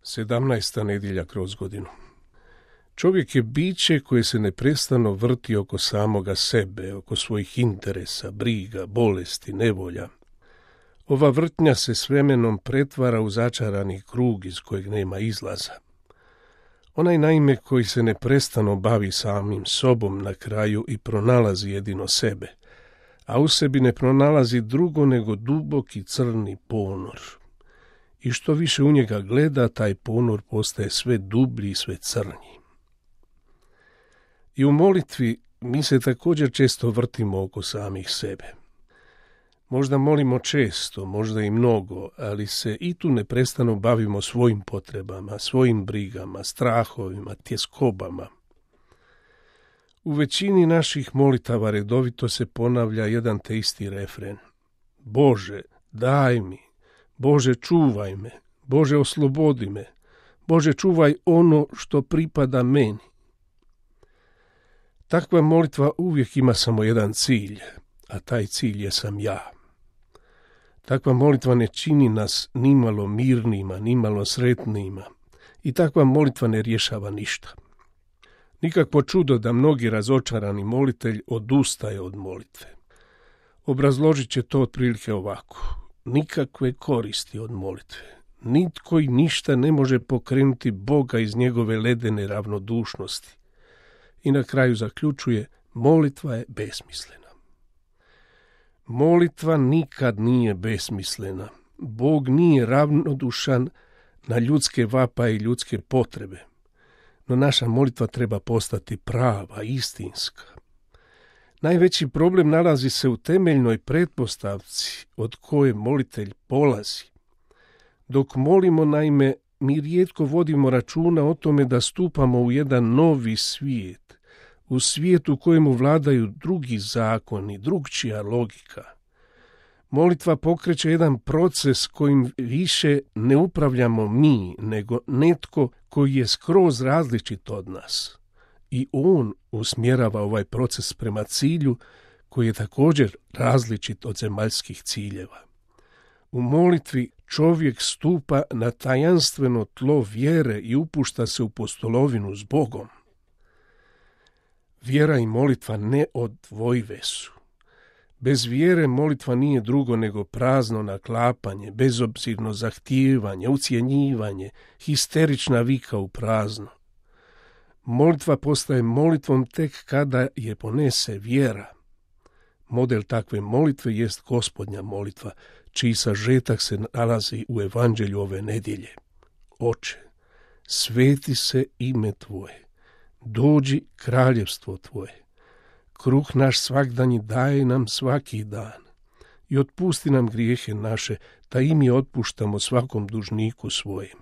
17. nedjelja kroz godinu. Čovjek je biće koje se neprestano vrti oko samoga sebe, oko svojih interesa, briga, bolesti, nevolja. Ova vrtnja se s vremenom pretvara u začarani krug iz kojeg nema izlaza. Onaj naime koji se neprestano bavi samim sobom na kraju i pronalazi jedino sebe, a u sebi ne pronalazi drugo nego duboki crni ponor. I što više u njega gleda, taj ponor postaje sve dublji i sve crnji. I u molitvi mi se također često vrtimo oko samih sebe. Možda molimo često, možda i mnogo, ali se i tu neprestano bavimo svojim potrebama, svojim brigama, strahovima, tjeskobama. U većini naših molitava redovito se ponavlja jedan te isti refren. Bože, daj mi, Bože, čuvaj me, Bože, oslobodi me, Bože, čuvaj ono što pripada meni. Takva molitva uvijek ima samo jedan cilj, a taj cilj je sam ja. Takva molitva ne čini nas nimalo mirnima, nimalo sretnima i takva molitva ne rješava ništa. Nikakvo čudo da mnogi razočarani molitelj odustaje od molitve. Obrazložit će to otprilike ovako. Nikakve koristi od molitve. Nitko i ništa ne može pokrenuti Boga iz njegove ledene ravnodušnosti. I na kraju zaključuje, molitva je besmislena. Molitva nikad nije besmislena. Bog nije ravnodušan na ljudske vapaje i ljudske potrebe. No naša molitva treba postati prava, istinska. Najveći problem nalazi se u temeljnoj pretpostavci od koje molitelj polazi. Dok molimo, naime, mi rijetko vodimo računa o tome da stupamo u jedan novi svijet, u svijet u kojemu vladaju drugi zakoni, drugčija logika. Molitva pokreće jedan proces kojim više ne upravljamo mi, nego netko koji je skroz različit od nas. I on usmjerava ovaj proces prema cilju koji je također različit od zemaljskih ciljeva. U molitvi čovjek stupa na tajanstveno tlo vjere i upušta se u postolovinu s Bogom. Vjera i molitva neodvojive su. Bez vjere molitva nije drugo nego prazno naklapanje, bezobzirno zahtijevanje, ucjenjivanje, histerična vika u prazno. Molitva postaje molitvom tek kada je ponese vjera. Model takve molitve jest Gospodnja molitva, čiji sažetak se nalazi u evanđelju ove nedjelje. Oče, sveti se ime Tvoje, dođi kraljevstvo Tvoje. Kruh naš svakdanji daje nam svaki dan i otpusti nam grijehe naše, da i mi otpuštamo svakom dužniku svojim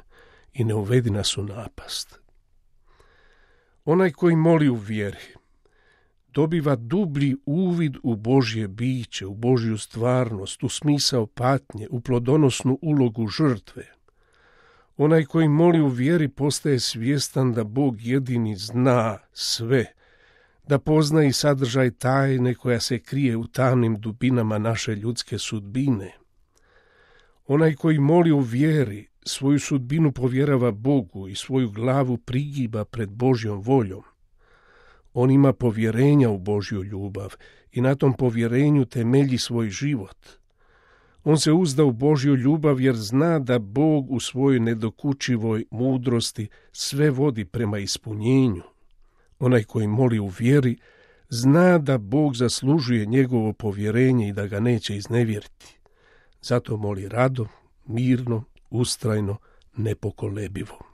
i ne uvedi nas u napast. Onaj koji moli u vjeri dobiva dublji uvid u Božje biće, u Božju stvarnost, u smisao patnje, u plodonosnu ulogu žrtve. Onaj koji moli u vjeri postaje svjestan da Bog jedini zna sve, da pozna i sadržaj tajne koja se krije u tamnim dubinama naše ljudske sudbine. Onaj koji moli u vjeri svoju sudbinu povjerava Bogu i svoju glavu prigiba pred Božjom voljom. On ima povjerenja u Božju ljubav i na tom povjerenju temelji svoj život. On se uzda u Božju ljubav jer zna da Bog u svojoj nedokučivoj mudrosti sve vodi prema ispunjenju. Onaj koji moli u vjeri zna da Bog zaslužuje njegovo povjerenje i da ga neće iznevjeriti. Zato moli rado, mirno, ustrajno, nepokolebivo.